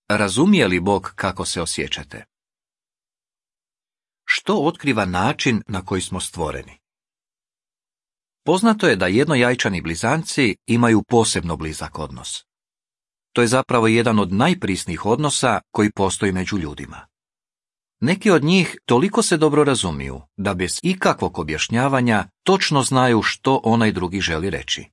Razumije li Bog kako se osjećate? Što otkriva način na koji smo stvoreni? Poznato je da jednojajčani blizanci imaju posebno blizak odnos. To je zapravo jedan od najprisnijih odnosa koji postoji među ljudima. Neki od njih toliko se dobro razumiju da bez ikakvog objašnjavanja točno znaju što onaj drugi želi reći.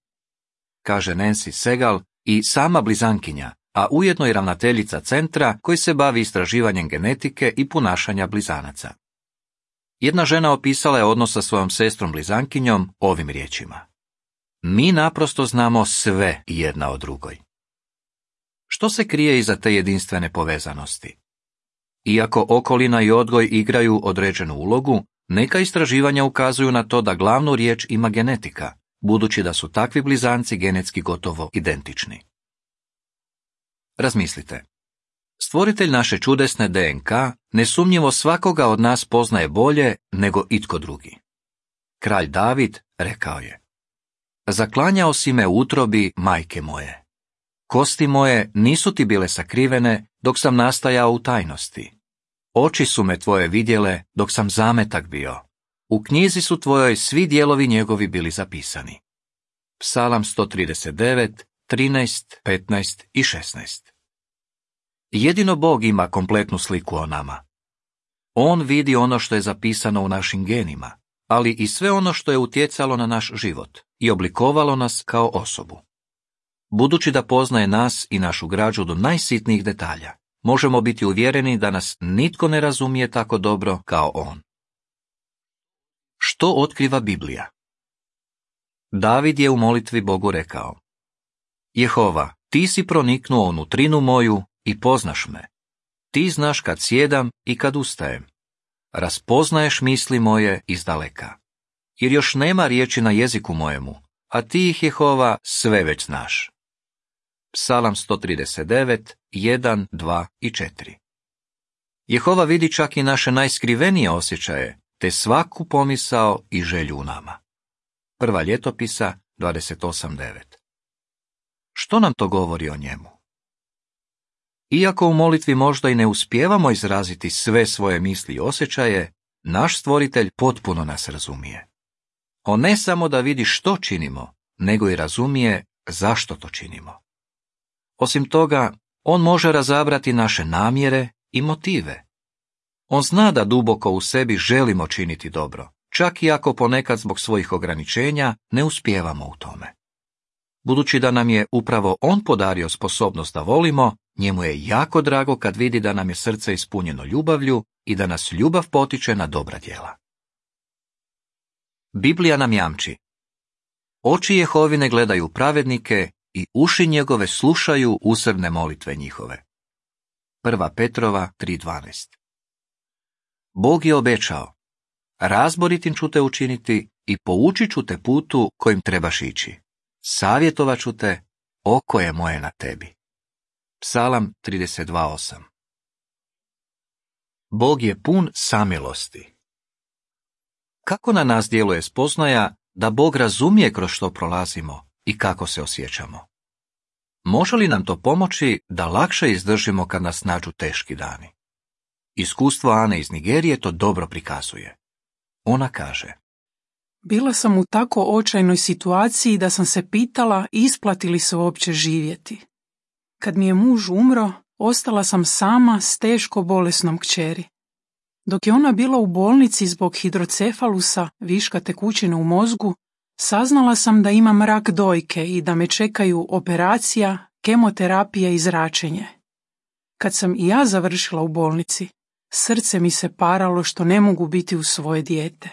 Kaže Nancy Segal i sama blizankinja, a ujedno i ravnateljica centra koji se bavi istraživanjem genetike i ponašanja blizanaca. Jedna žena opisala je odnos sa svojom sestrom blizankinjom ovim riječima: mi naprosto znamo sve jedna o drugoj. Što se krije iza te jedinstvene povezanosti? Iako okolina i odgoj igraju određenu ulogu, neka istraživanja ukazuju na to da glavnu riječ ima genetika, budući da su takvi blizanci genetski gotovo identični. Razmislite. Stvoritelj naše čudesne DNK nesumnjivo svakoga od nas poznaje bolje nego itko drugi. Kralj David rekao je: zaklanjao si me u utrobi majke moje. Kosti moje nisu ti bile sakrivene dok sam nastajao u tajnosti. Oči su me tvoje vidjele dok sam zametak bio. U knjizi su tvojoj svi dijelovi njegovi bili zapisani. Psalam 139, 13, 15 i 16. Jedino Bog ima kompletnu sliku o nama. On vidi ono što je zapisano u našim genima, ali i sve ono što je utjecalo na naš život i oblikovalo nas kao osobu. Budući da poznaje nas i našu građu do najsitnijih detalja, možemo biti uvjereni da nas nitko ne razumije tako dobro kao on. Što otkriva Biblija? David je u molitvi Bogu rekao: Jehova, ti si proniknuo u nutrinu moju i poznaš me. Ti znaš kad sjedam i kad ustajem. Raspoznaješ misli moje izdaleka. Jer još nema riječi na jeziku mojemu, a ti ih, Jehova, sve već znaš. Psalam 139, 1, 2 i 4. Jehova vidi čak i naše najskrivenije osjećaje, te svaku pomisao i želju u nama. Prva Ljetopisa 28.9. Što nam to govori o njemu? Iako u molitvi možda i ne uspijevamo izraziti sve svoje misli i osjećaje, naš stvoritelj potpuno nas razumije. On ne samo da vidi što činimo, nego i razumije zašto to činimo. Osim toga, on može razabrati naše namjere i motive. On zna da duboko u sebi želimo činiti dobro, čak i ako ponekad zbog svojih ograničenja ne uspijevamo u tome. Budući da nam je upravo on podario sposobnost da volimo, njemu je jako drago kad vidi da nam je srce ispunjeno ljubavlju i da nas ljubav potiče na dobra djela. Biblija nam jamči: oči Jehovine gledaju pravednike i uši njegove slušaju usrdne molitve njihove. 1. Petrova 3.12. Bog je obećao: razboritim ću te učiniti i poučit ću te putu kojim trebaš ići. Savjetovat ću te, oko je moje na tebi. Psalam 32.8. Bog je pun samilosti. Kako na nas djeluje spoznaja da Bog razumije kroz što prolazimo i kako se osjećamo? Može li nam to pomoći da lakše izdržimo kad nas nađu teški dani? Iskustvo Ane iz Nigerije to dobro prikazuje. Ona kaže: bila sam u tako očajnoj situaciji da sam se pitala isplati li se uopće živjeti. Kad mi je muž umro, ostala sam sama s teško bolesnom kćeri. Dok je ona bila u bolnici zbog hidrocefalusa, viška tekućine u mozgu, saznala sam da imam rak dojke i da me čekaju operacija, kemoterapija i zračenje. Kad sam i ja završila u bolnici, srce mi se paralo što ne mogu biti uz svoje dijete.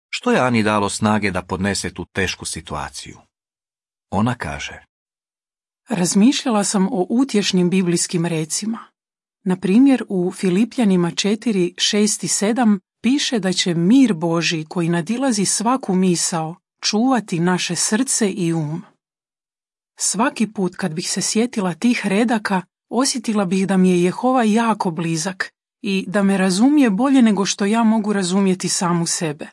Što je Ani dalo snage da podnese tu tešku situaciju? Ona kaže: razmišljala sam o utješnim biblijskim recima. Na primjer, u Filipljanima 4, 6 i 7 piše da će mir Božji koji nadilazi svaku misao čuvati naše srce i um. Svaki put kad bih se sjetila tih redaka, osjetila bih da mi je Jehova jako blizak i da me razumije bolje nego što ja mogu razumjeti samu sebe.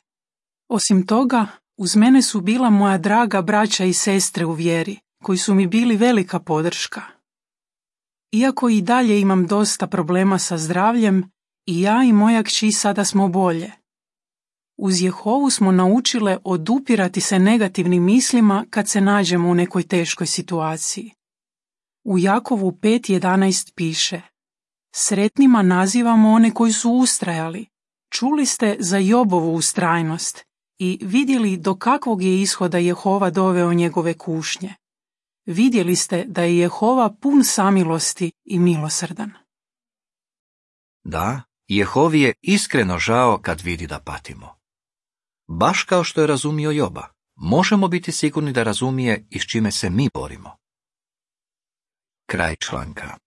Osim toga, uz mene su bila moja draga braća i sestre u vjeri, koji su mi bili velika podrška. Iako i dalje imam dosta problema sa zdravljem, i ja i moja kći sada smo bolje. Uz Jehovu smo naučile odupirati se negativnim mislima kad se nađemo u nekoj teškoj situaciji. U Jakovu 5.11 piše: Sretnima nazivamo one koji su ustrajali. Čuli ste za Jobovu ustrajnost i vidjeli do kakvog je ishoda Jehova doveo njegove kušnje. Vidjeli ste da je Jehova pun samilosti i milosrdan. Da, Jehovi je iskreno žao kad vidi da patimo. Baš kao što je razumio Joba, možemo biti sigurni da razumije i s čime se mi borimo. Kraj članka.